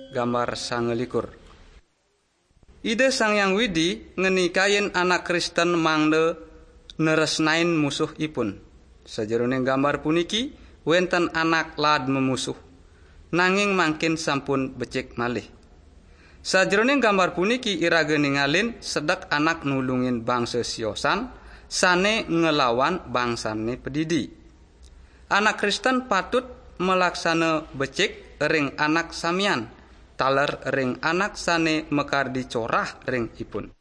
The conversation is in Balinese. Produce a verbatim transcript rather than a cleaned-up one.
Gambar sangelikur. Ida Sang Hyang Widi ngenikain anak Kristen mangda neresnain musuhipun. Sajeroning gambar puniki, wenten anak laad memusuh, nanging mangkin sampun becik malih. Sajeroning gambar puniki iraga ningalin sedek anak nulungin bangsa siosan sane ngelawan bangsane padidi. Anak Kristen patut malaksana becik ring anak samian, taler ring anak sane makardi corah ring ipun.